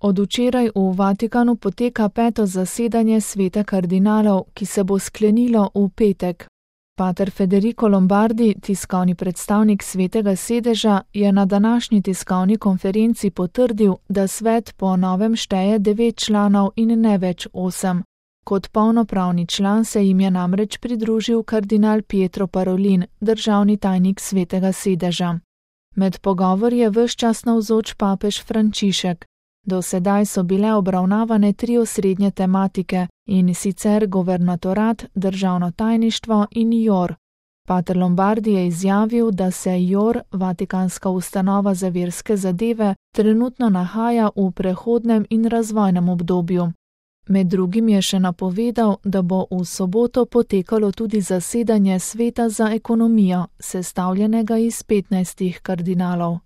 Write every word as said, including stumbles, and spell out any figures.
Od včeraj v Vatikanu poteka peto zasedanje sveta kardinalov, ki se bo sklenilo v petek. Pater Federico Lombardi, tiskovni predstavnik svetega sedeža, je na današnji tiskovni konferenci potrdil, da svet po novem šteje devet članov in ne več osem. Kot polnopravni član se jim je namreč pridružil kardinal Pietro Parolin, državni tajnik svetega sedeža. Med pogovor je ves čas navzoč papež Frančišek. Do sedaj so bile obravnavane tri osrednje tematike, in sicer guvernatorat, državno tajništvo in J O R. Pater Lombardi je izjavil, da se J O R, Vatikanska ustanova za verske zadeve, trenutno nahaja v prehodnem in razvojnem obdobju. Med drugim je še napovedal, da bo v soboto potekalo tudi zasedanje sveta za ekonomijo, sestavljenega iz petnajstih kardinalov.